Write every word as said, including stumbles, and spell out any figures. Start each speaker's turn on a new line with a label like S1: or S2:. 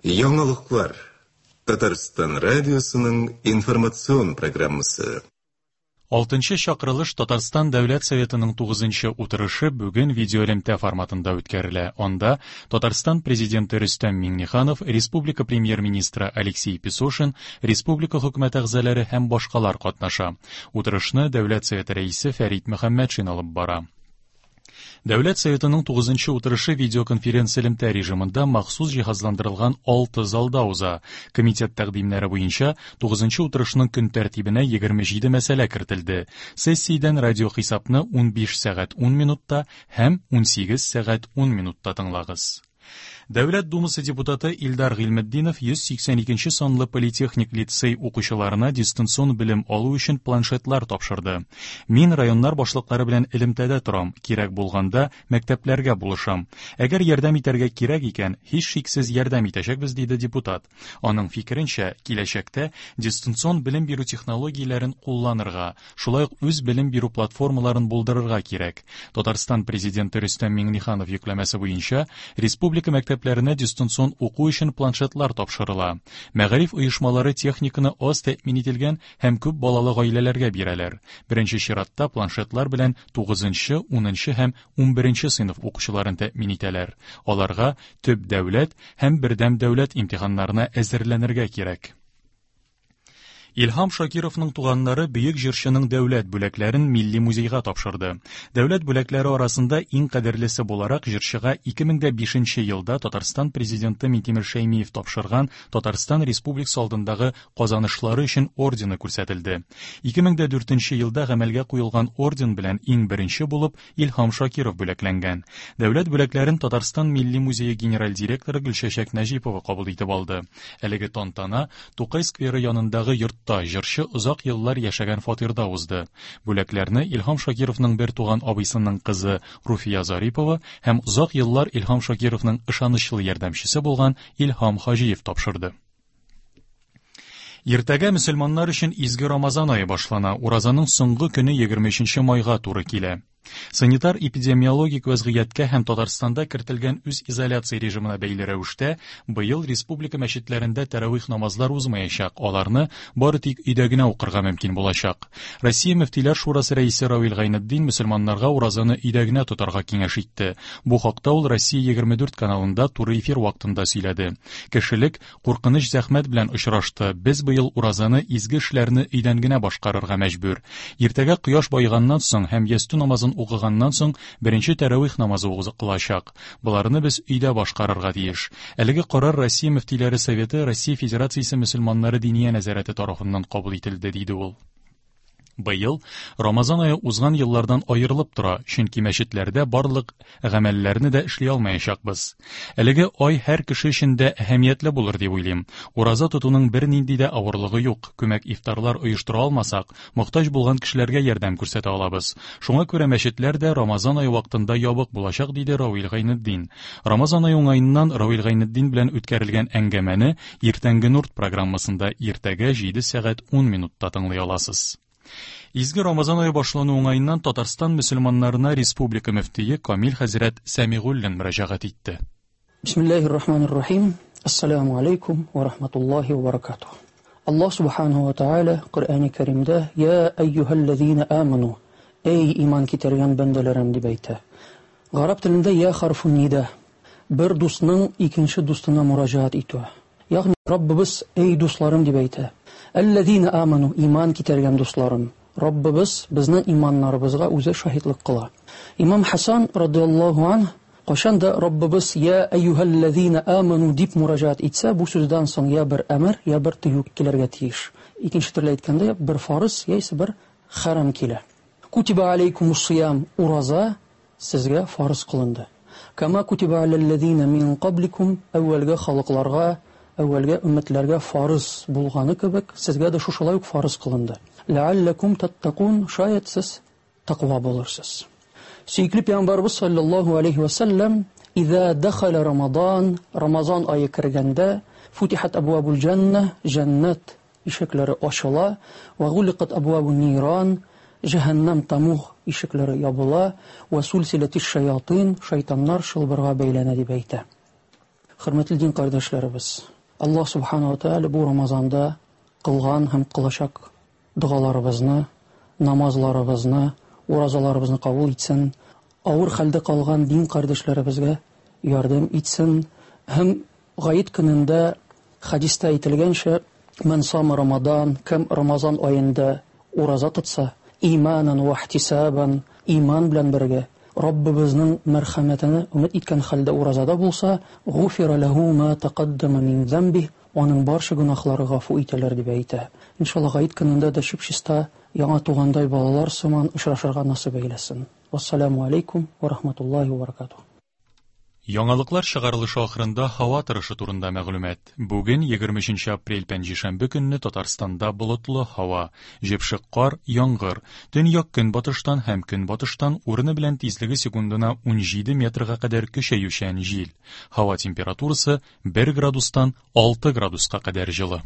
S1: Яңалыклар. Татарстан радиосының информацион программасы.
S2: Алтынчы чакырылыш Татарстан Дәүләт Советының тугызынчы утырышы бүген видеоэлемтә форматында үткәрелә. Анда Татарстан Президенты Рөстәм Миңнеханов, Республика Премьер-министры Алексей Песошин, Республика хөкүмәт әгъзалары һәм башкалар катнаша. Утырышны Дәүләт Советы рәисе Фәрит Мөхәммәтшин алып бара. Дәүләт Советының тугызынчы утырышы видеоконференция элемтә режимында махсус җиһазландырылган алты залда уза. Комитет тәкъдимнәре буенча тугызынчы утырышның көн тәртибенә егерме җиде мәсьәлә кертелде. Сессиядән радиохисапны унбиш сәгать ун минутта һәм унсигез сәгать ун минутта тыңлагыз. Дәүләт Думасы депутаты Илдар Гыйльметдинов йөз сиксән икенче санлы политехник лицей укучыларына дистанцион белем алу өчен планшетлар тапшырды. Мин районнар башлыклары белән элемтәдә торам, кирәк булганда мәктәпләргә булышам. Әгәр ярдәм итәргә кирәк икән, һичшиксез ярдәм итәчәкбез, диде депутат. Аның фикеренчә, киләчәктә дистанцион белем бирү технологияләрен кулланырга, шулай ук үз белем бирү платформаларын булдырырга кирәк. Татарстан президенты Рөстәм Миңнеханов йөкләмәсе буенча республика мәктәпләренә дистанцион уку өчен планшетлар тапшырыла. Мәгариф оешмалары техниканы аз тәэмин ителгән һәм күп балалы гаиләләргә бирәләр. Беренче чиратта планшетлар белән тугызынчы, унынчы һәм унберенче сыйныф укучыларын тәэмин итәләр. Аларга төп дәүләт һәм бердәм дәүләт имтиханнарына әзерләнергә кирәк. Илһам Шакировның туганнары бөек җырчының дәүләт бүләкләрен Милли музейга тапшырды. Дәүләт бүләкләре арасында иң кадерлесе буларак җырчыга ике мең дә бишенче елда Татарстан президенты Минтимер Шәймиев тапшырган Татарстан Республикасы алдындагы казанышлары өчен ордены күрсәтелде. Ике мең дә дүртенче елда гамәлгә куелган орден белән иң беренче булып Илһам Шакиров бүләкләнгән. Дәүләт бүләкләрен Татарстан Милли музее генераль директоры Гөлчәчәк Нәҗипова кабул итеп алды. Әлеге тантана Тукай скверы янындагы йортта җырчы озак еллар яшәгән фатирда узды. Бүләкләрне Илһам Шакировның бер туган абыйсының кызы Руфия Зарипова һәм озак еллар Илһам Шакировның ышанычлы ярдәмчесе булган Илһам Хаҗиев тапшырды. Иртәгә мөселманнар өчен изге Рамазан ае башлана. Уразаның соңгы көне егерме өченче майга туры килә. Санитар-эпидемиологик вәзгыятькә һәм Татарстанда кертелгән үз изоляция режимына бәйле рәвештә быел республика мәчетләрендә тәравих намазлар узмаячак. Аларны бары тик өйдә генә укырга мөмкин булачак. Россия Мөфтиләр Шурасы рәисе Равил Гайнетдин мөселманнарга уразаны өйдә генә тотарга киңәш итте. Бу хакта ул Россия егерме дүрт каналында туры эфир вакытында сөйләде. Кешелек куркыныч зәхмәт белән очрашты. Без быел уразаны изге эшләрне өйдән генә башкарырга мәҗбүр. Иртәгә кояш баеганнан соң һәм ястү намазын укыганнан соң беренче тәравих намазы укылачак. Боларны без өйдә башкарырга тиеш. Әлеге карар Россия Мөфтиләре Советы Россия Федерациясе мөселманнары диния нәзарәте тарафыннан кабул ителде, диде ул. Быел Рамазан ае узган еллардан аерылып тора, чөнки мәчетләрдә барлык гамәлләрне дә эшли алмаячакбыз. Әлеге ай һәр кеше өчен дә әһәмиятле булыр дип уйлыйм. Ураза тотуның бернинди дә авырлыгы юк. Күмәк ифтарлар оештыра алмасак, мохтаҗ булган кешеләргә ярдәм күрсәтә алабыз. Шуңа күрә мәчетләр дә Рамазан ае вакытында ябык булачак, диде Равил Гайнетдин. Рамазан ае уңаеннан Равил Гайнетдин белән үткәрелгән әңгәмәне Иртәнге Нурт программасында иртәгә җиде сәгать ун минутта тыңлый аласыз. Изге Рамазан ае башлану уңаеннан Татарстан мөселманнарына республика мөфтие Камил хәзрәт Сәмигуллин мөрәҗәгать итте.
S3: Бисмиллаһир-рахманир-рахим. Ассаламу алейкум ва рахматуллахи ва баракатух. Аллаһ субханаху ва тааля Коръәни Кәримдә: Я әйюһәлләзина аману, эй иман китергән бәндәләрем, дип әйтә. Гарәп телендә я харфун нида, бер дусның икенче дустына мөрәҗәгать итүе. Ягъни Раббыбыз эй дусларым дип әйтә. Әлләзина аману, иман китергән дусларым. Раббыбыз безнең иманнарыбызга үзе шаһитлык кыла. Имам Хасан радиаллаһу анһ кайчан да Раббыбыз я әйюһәлләзина аману дип мөрәҗәгать итсә, бу сүздән соң я бер әмер, я бер тыю килергә тиеш. Икенче төрле әйткәндә, бер фарыз яисә бер харам килә. Кутиба алейкумус сиям, ураза сезгә фарыз кылынды. Кама кутиба алаллазина мин кабликум, әүвәлге халыкларга, әүвәлге өммәтләргә фарыз булганы кебек, сезгә дә шушылай ук фарыз кылынды. Ләалләкум таттакун, шаят сез тәкъва булырсыз. Сөекле пәйгамбәрбез саллаллаһу алейхи ва саллям, Иза дахала Рамадан, Рамазан ае кергәндә, футихат абвабул җанна, җәннәт ишекләре ачыла, ва гуликат абвабун ниран, җәһәннәм тамуг ишекләре ябыла, ва сулсилатиш шаятин, шайтаннар шылбырга бәйләнә дип әйтә. Хөрмәтле дин кардәшләребез, Аллаһ субхана ва тааля бу Рамазанда кылган һәм кылачак догаларыбызны, намазларыбызны, уразаларыбызны кабул итсен. Авыр хәлдә калган дин кардәшләребезгә ярдәм итсен. Һәм гает көнендә хәдистә әйтелгәнчә, "Ман сама Рамадан", кем Рамазан аенда ураза тотса, иманан ва ихтисабан, иман белән бергә Раббыбызның мәрхәмәтенә өмет иткән хәлдә уразада булса, "Гуфира лаху ма тaqaddama мин замби", аның барча гөнаһлары гафу ителер дип әйтә. Иншалла, гает көнендә дә чип-чиста яңа тугандай балалар сыман очрашырга насыйп әйләсен. Вассаламу алейкум ва рахматуллахи ва баракатуһ.
S2: Яңалыклар чыгарылышы ахырында һава торышы турында мәгълүмат. Бүген егерме өченче апрель пәнҗешәмбе көнне Татарстанда болытлы һава, җепшек кар, яңгыр. Төньяк көнбатыштан һәм көнбатыштан урыны белән тизлеге секундына унҗиде метрга кадәр көчәючән җил. Һава температурасы бер градустан алты градуска кадәр җылы.